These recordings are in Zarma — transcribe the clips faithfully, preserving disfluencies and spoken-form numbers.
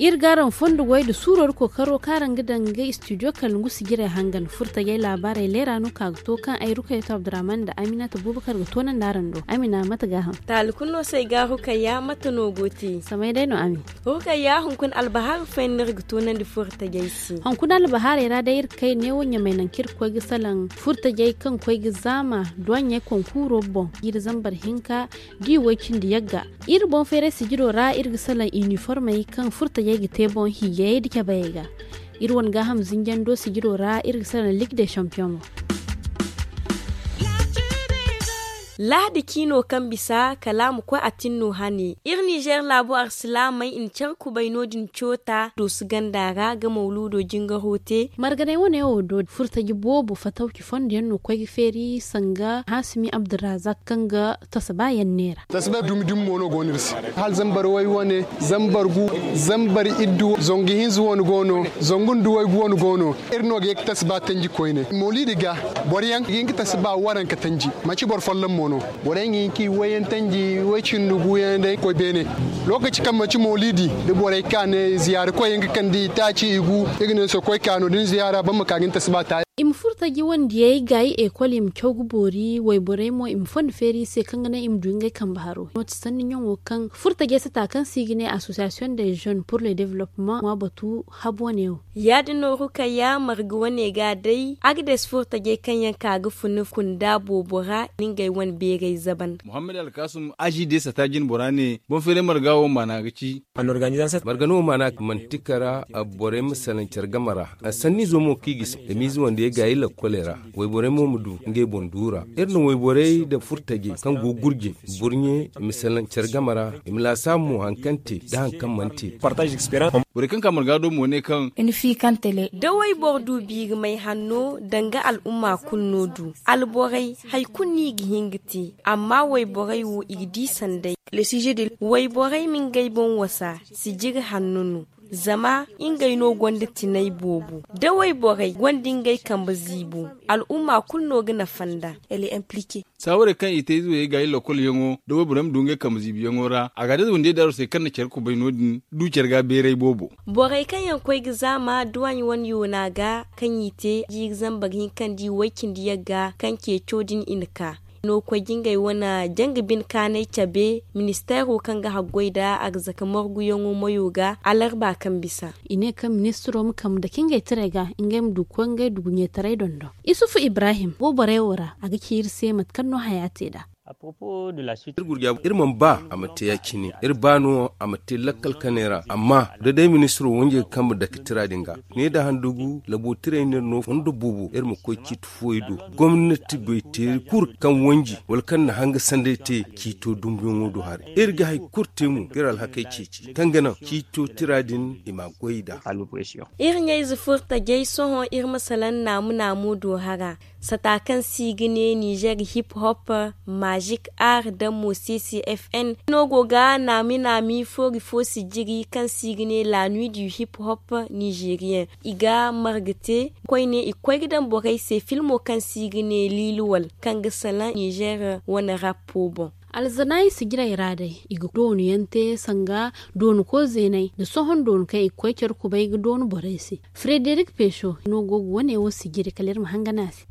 Iri ga araŋ fondo goy nda suuro nda kookaro kaŋ araŋ ga daŋ ga studio kalngu sijirey hangan furtajey laabaarey leera no ka ga to kaŋ ay rukayatu abdurrahman nda aminata bubakar ga toonandi araŋ do. Amina mate gaaham? Taali kulu no se ay ga rukayya mate no go te? Samay day no ami. Rukayya hunkuna albahaaru fooyaŋ no iri ga toonandi furtajey se. Hunkuna albahaarey ra day iri kay neewo ɲamay nangu kaŋ iri ga koy ga salaŋ furtajey kaŋ ga koy ga zaama duwaɲey konkuuro boŋ jiiri zambar hinka da i way cindi yagga. Iri boŋ feeray sijiro ra iri ga salaŋ iniformey kaŋ furtajey ga te boŋ hiijayey nda cabayey ga. Iri wane gaaham zinjando sijiro ra iri ga salaŋ ligue des champion mo. Lahadi ciino kaŋ bisa kala a ma koy a tinno hane iri nizer laabo arsilaamey i na care kubay no- din coota dooso ganda ra ga mawluudo jingaro te. Marganey wane wo do furtaji boobo fatawci fondo yaŋ no koy ga feeri sanga hasimi abdurrazak kaŋ ga tasaba yaŋ neera. Tasaba dumi dumi mo no go no iri se. Hala zambar way wane, zambar gu, zambar iddu, zangu hinza wane go no, zangu nda waygu wane go no. Iri no ga ye ga tasaba tanji koyne mawliidi ga boro yaŋ ga hin ga tasaba waranka tanji. Manti boro folloŋ mo no. Boro yaŋ ga hin ga i wayyaŋ tanji way cindi guyaŋ day ga koy beene. Lookaci kaŋ manti mawliidi da borey ka ne ziyaara koy yaŋ ga kande i taaci i gu, i ga ne sohõ koy ka no- din ziyaara boro ma ka ga ni tasaba ta. I ma furo taji wandiyey gaayi ekol i ma caw ga boori wayborey mo i ma fondo feeri i se kaŋ ga naŋ i ma du ngey kambe haro. Nooti sanni ɲaŋo kaŋ furo tajey sata kaŋ se i ga ne association des jeunes pour le développement ŋwa batu habu wane wo. Ya- din no rukayya marga wane ga day agdes furo tajey kaŋ yaŋ ka ga funa kunda boobo ra ni ngey wane beerey zaban. Muhammad alkasum aji de sata jine bora ne boŋ feeray marga wo maana ga ci. Marga no wo maana manti kara borey ma salaŋ care game ra. Sanniizo mo kaŋ i ga i se da miize wandiyey gaayi lakkoley ra. Wayborey mo ma du ngey boŋ duura. Iri na wayborey nda furtajey kaŋ go gurje burɲe i ma salaŋ care game ra. I ma laasaabu mo hari kaŋ te nda hari kaŋ mana te. Borey kaŋ ka marga do mo ne kaŋ da wayboro du biiri may hanno danga al'umma kulu no du alborey hari kulu no i ga hin ga te. Amma wayborey wo i ga di sanday. Wayborey ma ngey boŋ wasa sijiri hanno no. Zama ngey no gonda tinay boobo da wayborey gonda ngey kambe ziibo. Al'umma kulu no ga nafa nd'a. Saawarey kaŋ i te ize wayey gaayi lokol yaŋo da wayborey ma du ngey kambe ziibi yaŋo ra a ga day wandiyey daaru se kaŋ na care kubay no- din du care ga beeray boobo. Borey kaŋ yaŋ koy ga zaama duwaaɲ wane yoona ga kaŋ i te jiiri zambar hinka nda i way cindi yagga kaŋ ceeco din i na ka. No koy ga ngey wane janga bine kaanay cabe ministeero kaŋ ga haggoy nda arzaka marguyaŋo mayo ga alarba kaŋ bisa. I ne kaŋ ministiro ma kambe dake ngey taray ga ngey ma du ga koy ngey duguɲetaray dondo. Isufu ibrahim go borey wo ra a ga ci iri se mate kaŋ no haya te nd'a. Iri mana ba a ma te ya- cine iri ba no a ma te lakkal kanay ra amma da day ministiro wanjey ga kambe dake tira din ga ne da handugu labo tirey no iri no fondo boobo iri ma koy ciiti fooyey do. Gomnati goy teeri kulu kaŋ wanji wala kaŋ na hanga sanday te ciito dumbuyaŋo do haray iri ga hari kulu te mo ga iri alhakey ceeci kaŋ ga naŋ ciito tira din i ma a goy nd'a. Iri ɲayze furo tajey sohõ iri ma salaŋ naamu naamu do hara sata kaŋ se i ga ne nizer hip hop mazik ar nda mosesi fn no go ga naami naami foori fo sijiri kaŋ se i ga ne la nuit du hip hop nizeriyen. I ga marga te koyne i ga koy ga daŋ borey se filmo kaŋ se i ga ne liiluwal kaŋ ga salaŋ nizer wane rappo boŋ. Alzanaayi sijirey ra day i ga doonu yaŋ te sanga doonu koy zeeney nda sohõ doonu kaŋ i ga koy care kubay ga doonu borey se. Frederik peso no go ga wane wo sijiri kala iri ma hangan a se.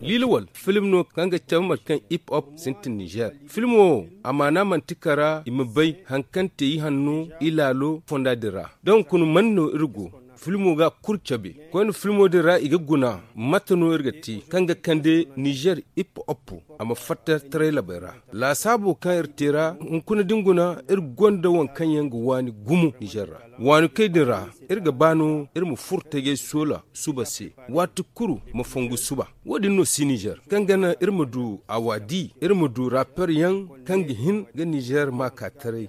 Liiluwal film no kaŋ ga cabe mate kaŋ hip hop sintin nizer. Filmo wo a maana manti kara i ma bay hari kaŋ te i hanno i laalo fonda din ra da hunkuna man no iri go. Filmo ga kulu cabe koyne filmo din ra i ga guna mate no iri ga te kaŋ ga kande nizer hip hop a ma fatta taray labey ra. Laasaabo kaŋ iri te ra hunkuna da ni guna iri gonda waŋ kaŋ yaŋ ga waani gumo nizer ra. Waani kay din ra iri ga ba no iri ma furo tajey soola suba se waati kulu ma fongu suba. Wo- din no si nizer kaŋ ga naŋ iri ma du a waadi iri ma du raper yaŋ kaŋ ga hin ga nizer ma ka taray.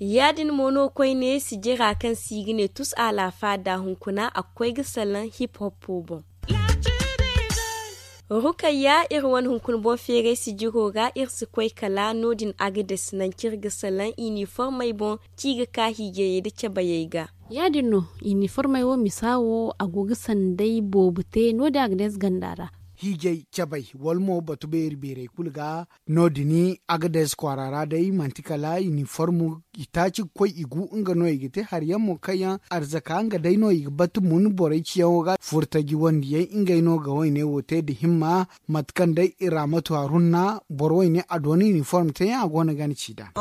Ya- din mo no koyne sijira kaŋ se i ga ne tus a laafa da hunkuna a ga koy ga salaŋ hip hoppo boŋ. Rukayya, iri wane hunkuna boŋ feeray sijiro ra, iri si koy kala no- din agades nangu kaŋ iri ga salaŋ iniformey boŋ, kaŋ i ga ka hiijayey nda cabayey ga. Ya- din no, iniformey wo misa wo a go ga sanday boobo te no- din agades ganda ra. Hiijay, cabay, wala mo batu beeri beerey kulu ga. No- din agades kwaara ra day manti kala iniform, itaaci ga koy i gu nga no i ga te hari yaŋ mo kaŋ yaŋ arzaka nga day no i ga batu mun borey ciyaŋo ga furtaji wandi yaŋ ngey no ga wayne wo te nda himma. Mate kaŋ day i ra matu harunna boro wayne a doona iniform te yaŋ a go no ga ni ci nd'a.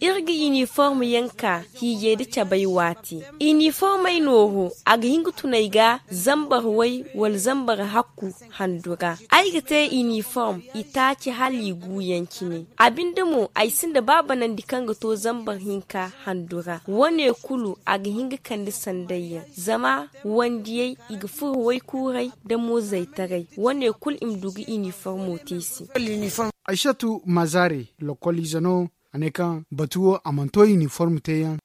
Iri ga iniform yaŋ ka hiijay nda cabay waati. Iniformey nooru a ga hin ga tunay ga zambar way wala zambar hakku handu ra. Ay ga te iniform itaaci hala i gu yaŋ cine. A binde mo ay sinda ba banandi kaŋ ga to zambar hinka handu ra. Wane kulu a ga hin ga kande sanday yaŋ zama wandiyey i ga furo waykuuray nda mo-zaytaray. Wane kulu i ma du ga iniformo te i se. Aysatu mazare, lokol ize no. A ne kaŋ batu wo a mana to iniform te yaŋ.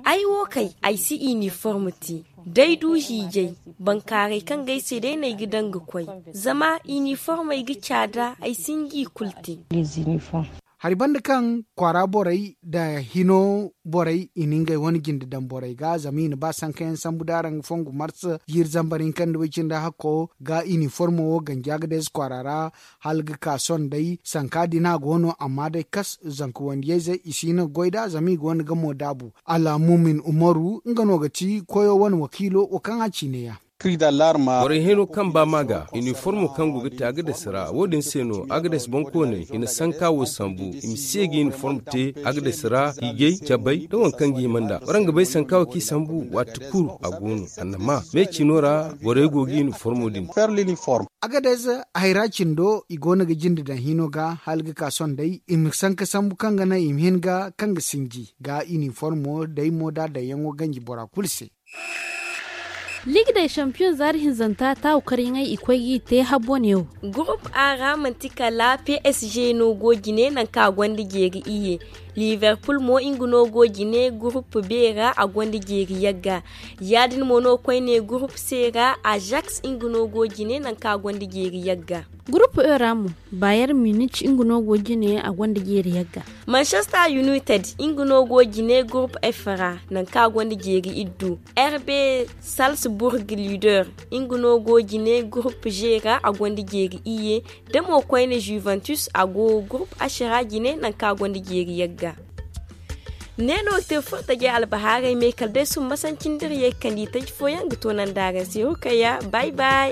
Ay wo kay ay si iniform te. Day du hiijay, bankaaray kaŋ ga ay se day no ay ga daŋ ga koy. Zama iniformey ga caada ay si nga i kulu te. Hari banda kaŋ kwaara borey nda hino borey i na ngey wane jinde daŋ borey ga zama i na ba sanka yaŋ sambu da araŋ ga fongu marsa jiiri zambar hinka nda way cindi hakko ga iniformo wo ganji agades kwaara ra. Hala ga ka sohõ day sanka din a go no amma day kas zanka wandiyayze i si hin ga goy nd'a zama i gonda gamo daabu. Alhamumin umaru nga no ga ti koyo wane wakiilo wo kaŋ a ciine ya. Borey hino kaŋ ba ma ga iniformo kaŋ go ga te agades ra wo- din se no agades boŋkooney i na sanka wo sambu i ma se ga iniform te agades ra hiijay cabay nda waŋ kaŋ ga hima nd'a waraŋ ga bay sanka wo kaŋ i sambu waati kulu a go no annama me ciino ra borey go ga iniformo din. Agades hayra cindo i go no ga jinde daŋ hino ga hala ga ka sohõ day i ma sanka sambu kaŋ ga naŋ i ma hin ga kaŋ ga sinji ga iniformo day mo da daŋyaŋo ganji bora kulu se. Liigday sampiyoŋ zaari hinzanta taawu karyaŋey i koy g'i te habbo neewo. Gurup a ra manti kala p s g no go jine nangu kaŋ a gonda jeeri iyye. Liverpul mo nga no go jine gurup b ra a gonda jeeri yagga. Ya- din mo no koyne gurup c ra azaks nga no go jine nangu kaŋ a gonda jeeri yagga. Gurup e ra mo, bayer munich nga no go jine a gonda jeeri yagga. Manchester united nga no go jine gurup f ra nangu kaŋ a gonda jeeri iddu. Rb salzburg leader nga no go jine gurup g ra a gonda jeeri iyye. Da mo koyne juventus a go gurup h ra jine nangu kaŋ a gonda jeeri yagga. Ne no ga te furtajey albahaarey me kala day summasancin da iri ye ga kande itaji fooyaŋ ga toonandi araŋ se hukayya. Bay bay.